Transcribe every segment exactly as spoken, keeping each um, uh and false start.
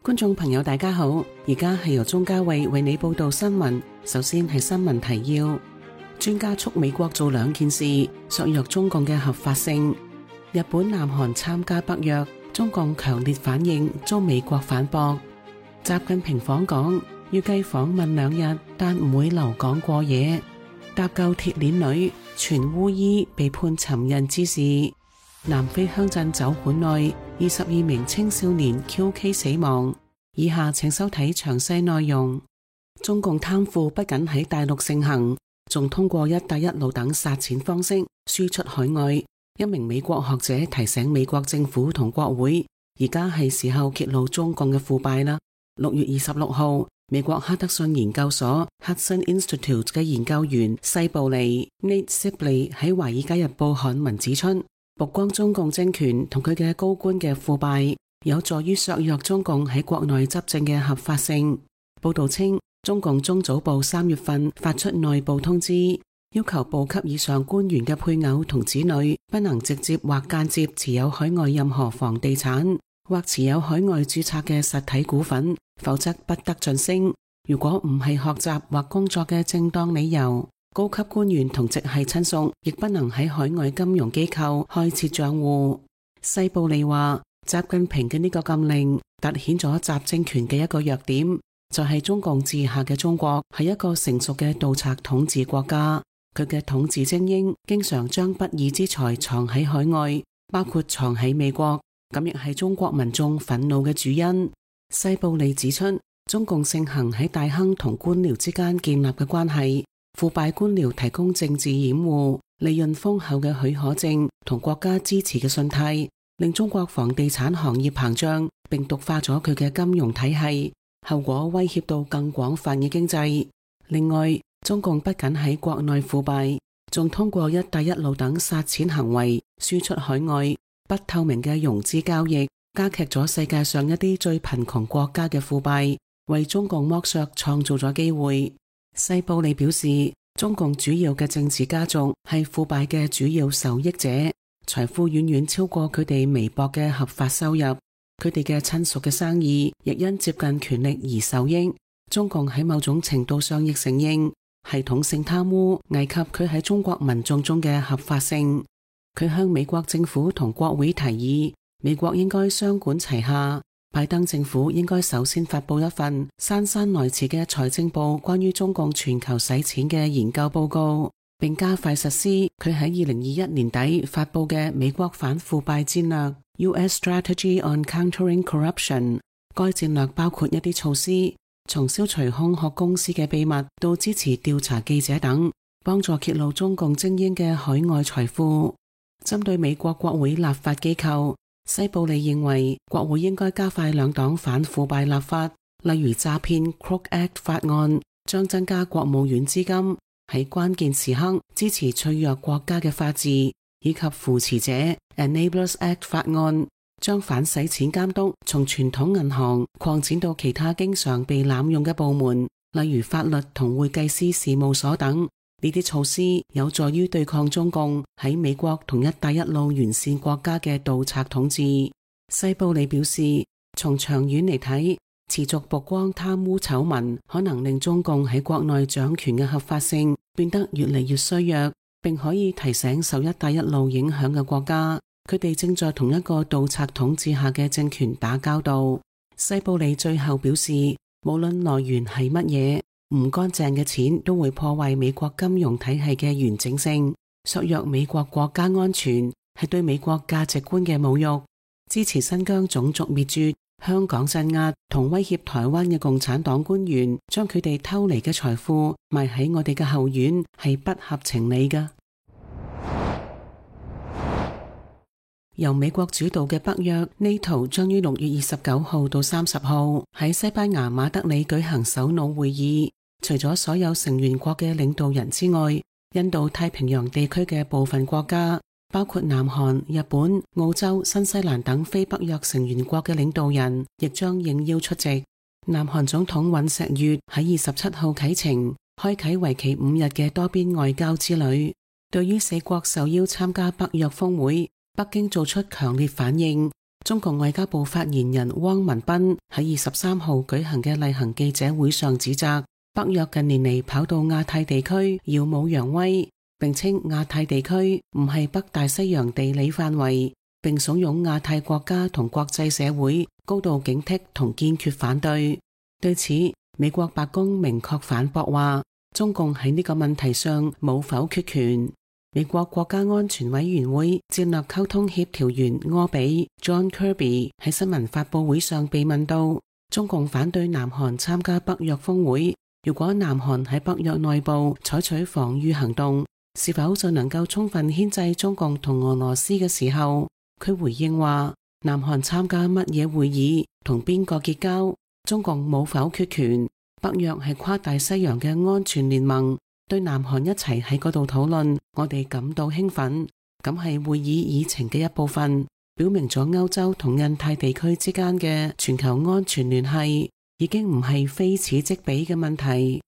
觀眾朋友大家好，而家係由鍾嘉慧為你報道新聞。首先係新聞提要：專家促美國做兩件事，削弱中共嘅合法性。日本、南韓參加北約，中共強烈反應，遭美國反駁。習近平訪港，預計訪問兩日，但唔會留港過夜。搭救鐵鏈女，傳烏衣被判尋釁滋事。南非鄉鎮酒館內二十二名青少年 Q K 死亡。以下請收睇詳細內容。中共貪腐不僅喺大陸盛行，仲通過一帶一路等撒錢方式輸出海外。一名美國學者提醒美國政府同國會，而家係時候揭露中共嘅腐敗啦。六月二十六號，美國哈德遜研究所 Hudson Institute 嘅研究員西布利 Nate Sibley 喺《華爾街日報》刊文指出，曝光中共政權同佢嘅高官嘅腐敗，有助於削弱中共喺國內執政嘅合法性。報道稱，中共中組部三月份發出內部通知，要求部級以上官員嘅配偶同子女不能直接或間接持有海外任何房地產或持有海外註冊嘅實體股份，否則不得晉升。如果唔係學習或工作嘅正當理由，高級官員同直系親屬亦不能喺海外金融機構開設賬戶。西布利話，習近平嘅呢個禁令凸顯咗習政權嘅一個弱點，就係、是、中共治下嘅中國係一個成熟嘅盜賊統治國家。佢嘅統治精英經常將不義之財藏喺海外，包括藏喺美國，咁亦係中國民眾憤怒嘅主因。西布利指出，中共盛行喺大亨同官僚之間建立嘅關係，腐敗官僚提供政治掩護、利潤豐厚嘅許可證同國家支持嘅信貸，令中國房地產行業膨脹，並毒化咗佢嘅金融體系，後果威脅到更廣泛嘅經濟。另外，中共不僅喺國內腐敗，仲通過一帶一路等撒錢行為輸出海外。不透明嘅融資交易加劇咗世界上一啲最貧窮國家嘅腐敗，為中共剝削創造咗機會。西布利表示，中共主要嘅政治家族係腐敗嘅主要受益者，財富遠遠超過佢哋微薄嘅合法收入，佢哋嘅親屬嘅生意亦因接近權力而受益。中共喺某種程度上亦承認系統性貪污危及佢喺中國民眾中嘅合法性。佢向美國政府同國會提議，美國應該雙管齊下，拜登政府應該首先發佈一份姍姍來遲嘅財政部關於中共全球洗錢嘅研究報告，並加快實施佢喺二零二一年底發佈嘅美國反腐敗戰略 U S Strategy on Countering Corruption。該戰略包括一啲措施，從消除空殼公司嘅秘密到支持調查記者等，幫助揭露中共精英嘅海外財富。針對美國國會立法機構，西布利認為國會應該加快兩黨反腐敗立法，例如詐騙 Crook Act 法案將增加國務院資金，喺關鍵時刻支持脆弱國家嘅法治，以及扶持者 Enablers Act 法案將反洗錢監督從傳統銀行擴展到其他經常被濫用嘅部門，例如法律同會計師事務所等。呢啲措施有助於對抗中共喺美國同一帶一路沿線國家嘅盜賊統治。西布利表示，從長遠嚟睇，持續曝光貪污醜聞可能令中共喺國內掌權嘅合法性變得越嚟越衰弱，並可以提醒受一帶一路影響嘅國家，佢哋正在同一個盜賊統治下嘅政權打交道。西布利最後表示，無論來源係乜嘢，唔乾淨嘅錢都會破壞美國金融體系嘅完整性，削弱美國國家安全，係對美國價值觀嘅侮辱。支持新疆種族滅絕、香港鎮壓同威脅台灣嘅共產黨官員，將佢哋偷嚟嘅財富埋喺我哋嘅後院，係不合情理㗎。由美國主導嘅北約 NATO 將於六月二十九號到三十號喺西班牙馬德里舉行首腦會議。除咗所有成員國嘅領導人之外，印度太平洋地區嘅部分國家，包括南韓、日本、澳洲、新西蘭等非北約成員國嘅領導人，亦將應邀出席。南韓總統尹錫悅喺二十七號啟程，開啟為期五日嘅多邊外交之旅。對於四國受邀參加北約峰會，北京做出強烈反應，中共外交部發言人汪文斌喺二十三號舉行嘅例行記者會上指責北約近年嚟跑到亞太地區耀武揚威，並稱亞太地區唔係北大西洋地理範圍，並慫恿亞太國家同國際社會高度警惕同堅決反對。對此，美國白宮明確反駁話，中共喺呢個問題上冇否決權。美國國家安全委員會戰略溝通協調員柯比 John Kirby 喺新聞發佈會上被問到，中共反對南韓參加北約峰會，如果南韓喺北約內部採取防禦行動，是否就能夠充分牽制中共同俄羅斯嘅時候，佢回應話，南韓參加乜嘢會議，同邊個結交，中共冇否決權。北約係跨大西洋嘅安全聯盟，對南韓一齊喺嗰度討論，我哋感到興奮，咁係會議議程嘅一部分，表明咗歐洲同印太地區之間嘅全球安全聯繫已經唔係非此即彼嘅問題。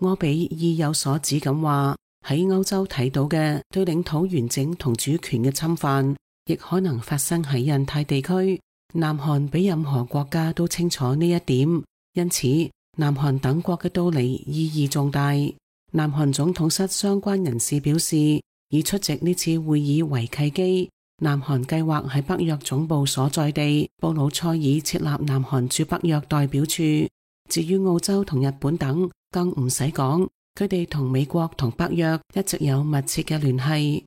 柯比意有所指咁話，喺歐洲睇到嘅對領土完整同主權嘅侵犯，亦可能發生喺印太地區。南韓比任何國家都清楚呢一點，因此南韓等國嘅到嚟意義重大。南韓總統室相關人士表示，以出席呢次會議為契機，南韓計劃喺北約總部所在地布魯塞爾設立南韓駐北約代表處。至於澳洲同日本等，更唔使講，佢哋同美國同北約一直有密切嘅聯繫。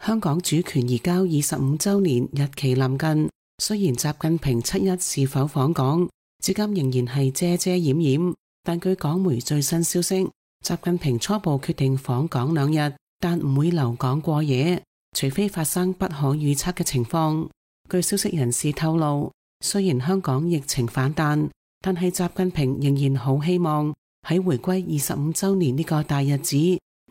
香港主權移交二十五週年日期臨近，雖然習近平七一是否訪港，至今仍然係遮遮掩掩，但據港媒最新消息，習近平初步決定訪港兩日，但唔會留港過夜，除非發生不可預測嘅情況。據消息人士透露，雖然香港疫情反彈，但係習近平仍然好希望喺回歸二十五週年呢個大日子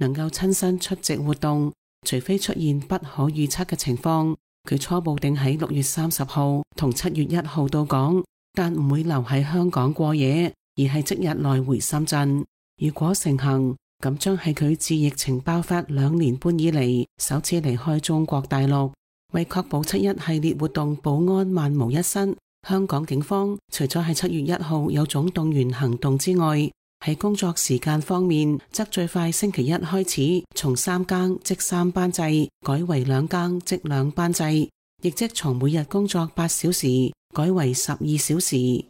能夠親身出席活動，除非出現不可預測嘅情況。佢初步定喺六月三十號同七月一號到港，但唔會留喺香港過夜，而係即日來回深圳。如果成行，咁將係佢自疫情爆發兩年半以嚟首次離開中國大陸。為確保七一系列活動保安萬無一失，香港警方除咗喺七月一號有總動員行動之外，喺工作時間方面，則最快星期一開始從三更即三班制改為兩更即兩班制，亦即從每日工作八小時改為十二小時。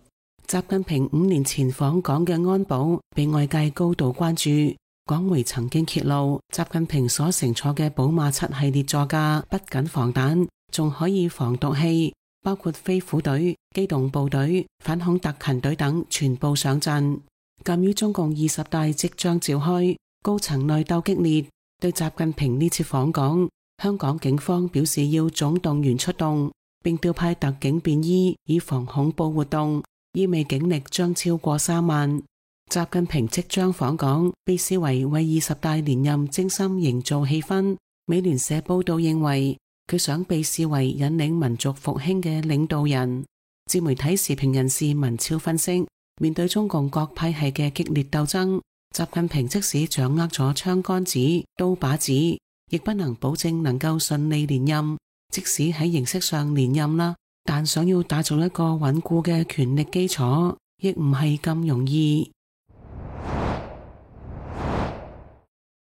習近平五年前訪港嘅安保被外界高度關注，港媒曾經揭露，習近平所乘坐嘅寶馬七系列座駕不僅防彈，仲可以防毒氣，包括飛虎隊、機動部隊、反恐特勤隊等全部上陣。鑒於中共二十大即將召開，高層內鬥激烈，對習近平呢次訪港，香港警方表示要總動員出動，並調派特警便衣以防恐怖活動，意味警力將超過三萬。習近平即將訪港，被視為為二十大連任精心營造氣氛。美聯社報道認為，佢想被視為引領民族復興嘅領導人。自媒體時評人士文超分析，面對中共各派系嘅激烈鬥爭，習近平即使掌握咗槍桿子、刀把子，亦不能保證能夠順利連任。即使喺形式上連任啦，但想要打造一個穩固嘅權力基礎，亦唔係咁容易。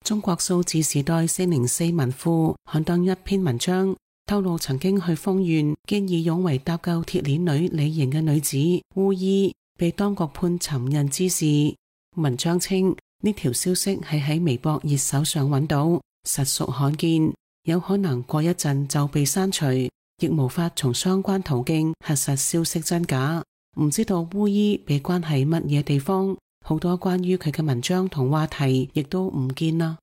中國數字時代四零四文庫刊登一篇文章，透露曾經去豐縣見義勇為搭救鐵鏈女李瑩嘅女子烏衣被當局判尋釁之事。文章稱呢條消息係喺微博熱搜上揾到，實屬罕見，有可能過一陣就被刪除，亦無法從相關途徑核實消息真假。唔知道烏衣被關喺乜嘢地方，好多關於佢嘅文章同話題亦都唔見啦。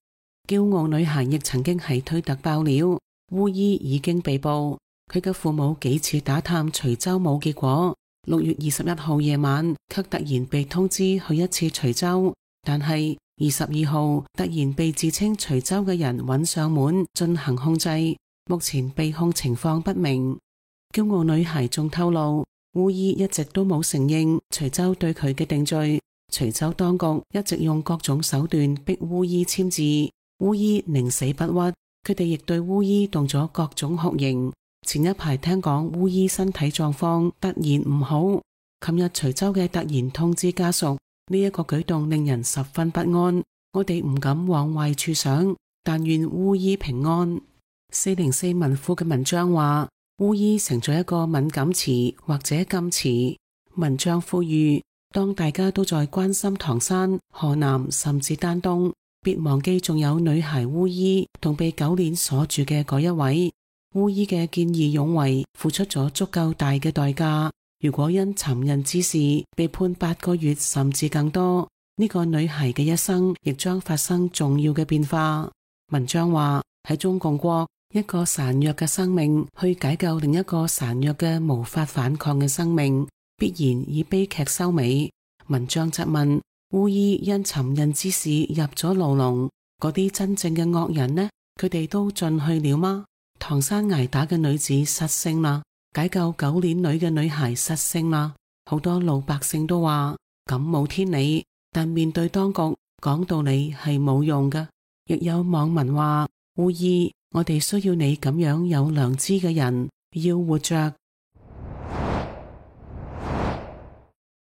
驕傲女孩亦曾經喺推特爆料，烏衣已經被捕，佢嘅父母幾次打探徐州冇結果。六月二十一號夜晚，卻突然被通知去一次徐州，但係二十二號突然被自稱徐州嘅人揾上門進行控制，目前被控情況不明。驕傲女孩仲透露，烏衣一直都冇承認徐州對佢嘅定罪，徐州當局一直用各種手段逼烏衣簽字，烏衣寧死不屈，佢哋亦對巫醫動咗各種酷刑。前一排聽講巫醫身體狀況突然唔好，琴日徐州嘅突然通知家屬，呢一個舉動令人十分不安。我哋唔敢往壞處想，但願巫醫平安。四零四文庫嘅文章話，巫醫成咗一個敏感詞或者禁詞。文章呼籲，當大家都在關心唐山、河南甚至丹東，別忘記仲有女孩巫醫同被狗鏈鎖住嘅嗰一位。巫醫嘅見義勇為付出咗足夠大嘅代價，如果因尋釁之事被判八個月甚至更多，呢個女孩嘅一生亦將發生重要嘅變化。文章話，喺中共國，一個孱弱嘅生命去解救另一個孱弱嘅無法反抗嘅生命，必然以悲劇收尾。文章質問，巫醫因尋釁之事入咗牢籠，嗰啲真正嘅惡人呢？佢哋都進去了嗎？唐山挨打嘅女子失聲啦，解救狗鏈女嘅女孩失聲啦。好多老百姓都話咁冇天理，但面對當局講道理係冇用㗎。亦有網民話，巫醫，我哋需要你咁樣有良知嘅人，要活着。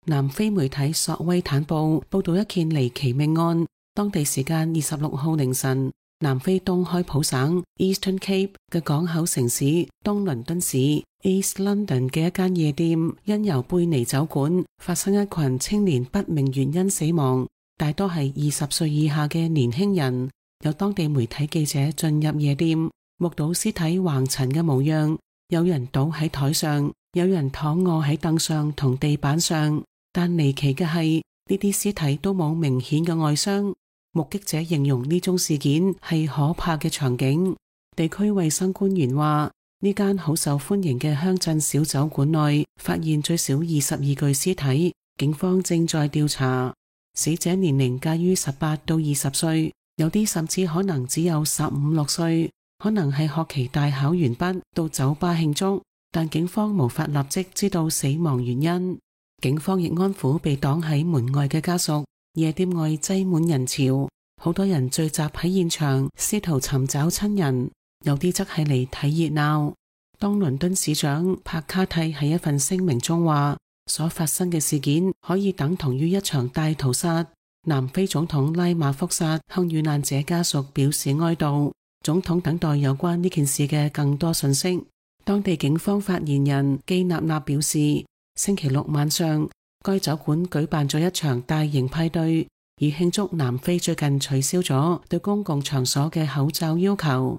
南非媒體索威坦報報道一件離奇命案，當地時間二十六號凌晨，南非東開普省 Eastern Cape 嘅港口城市東倫敦市 East London 嘅一間夜店，因由貝尼酒館發生一群青年不明原因死亡，大多係二十歲以下嘅年輕人。有當地媒體記者進入夜店，目睹屍體橫陳嘅模樣，有人倒喺台上，有人躺臥喺凳上同地板上，但離奇嘅係呢啲屍體都冇明顯嘅外傷。目擊者形容呢宗事件係可怕嘅場景。地區衛生官員話，呢間好受歡迎嘅鄉鎮小酒館內發現最少二十二具屍體，警方正在調查。死者年齡介於十八到二十歲，有啲甚至可能只有十五六歲，可能係學期大考完畢到酒吧慶祝，但警方無法立即知道死亡原因。警方亦安撫被擋喺門外嘅家屬。夜店外擠滿人潮，好多人聚集喺現場，試圖尋找親人，有啲則係嚟睇熱鬧。東倫敦市長帕卡蒂喺一份聲明中話，所發生嘅事件可以等同於一場大屠殺。南非總統拉馬福薩向遇難者家屬表示哀悼，總統等待有關呢件事嘅更多信息。當地警方發言人基納納表示，星期六晚上，該酒館舉辦咗一場大型派對，以慶祝南非最近取消咗對公共場所嘅口罩要求。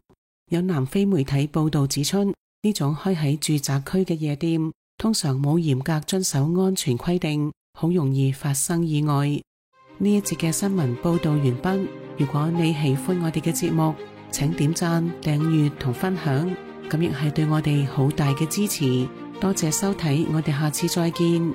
有南非媒體報道指出，呢種開喺住宅區嘅夜店通常冇嚴格遵守安全規定，好容易發生意外。呢一節嘅新聞報道完畢。如果你喜歡我哋嘅節目，請點讚、訂閱同分享，咁亦係對我哋好大嘅支持。多謝收睇，我哋下次再見。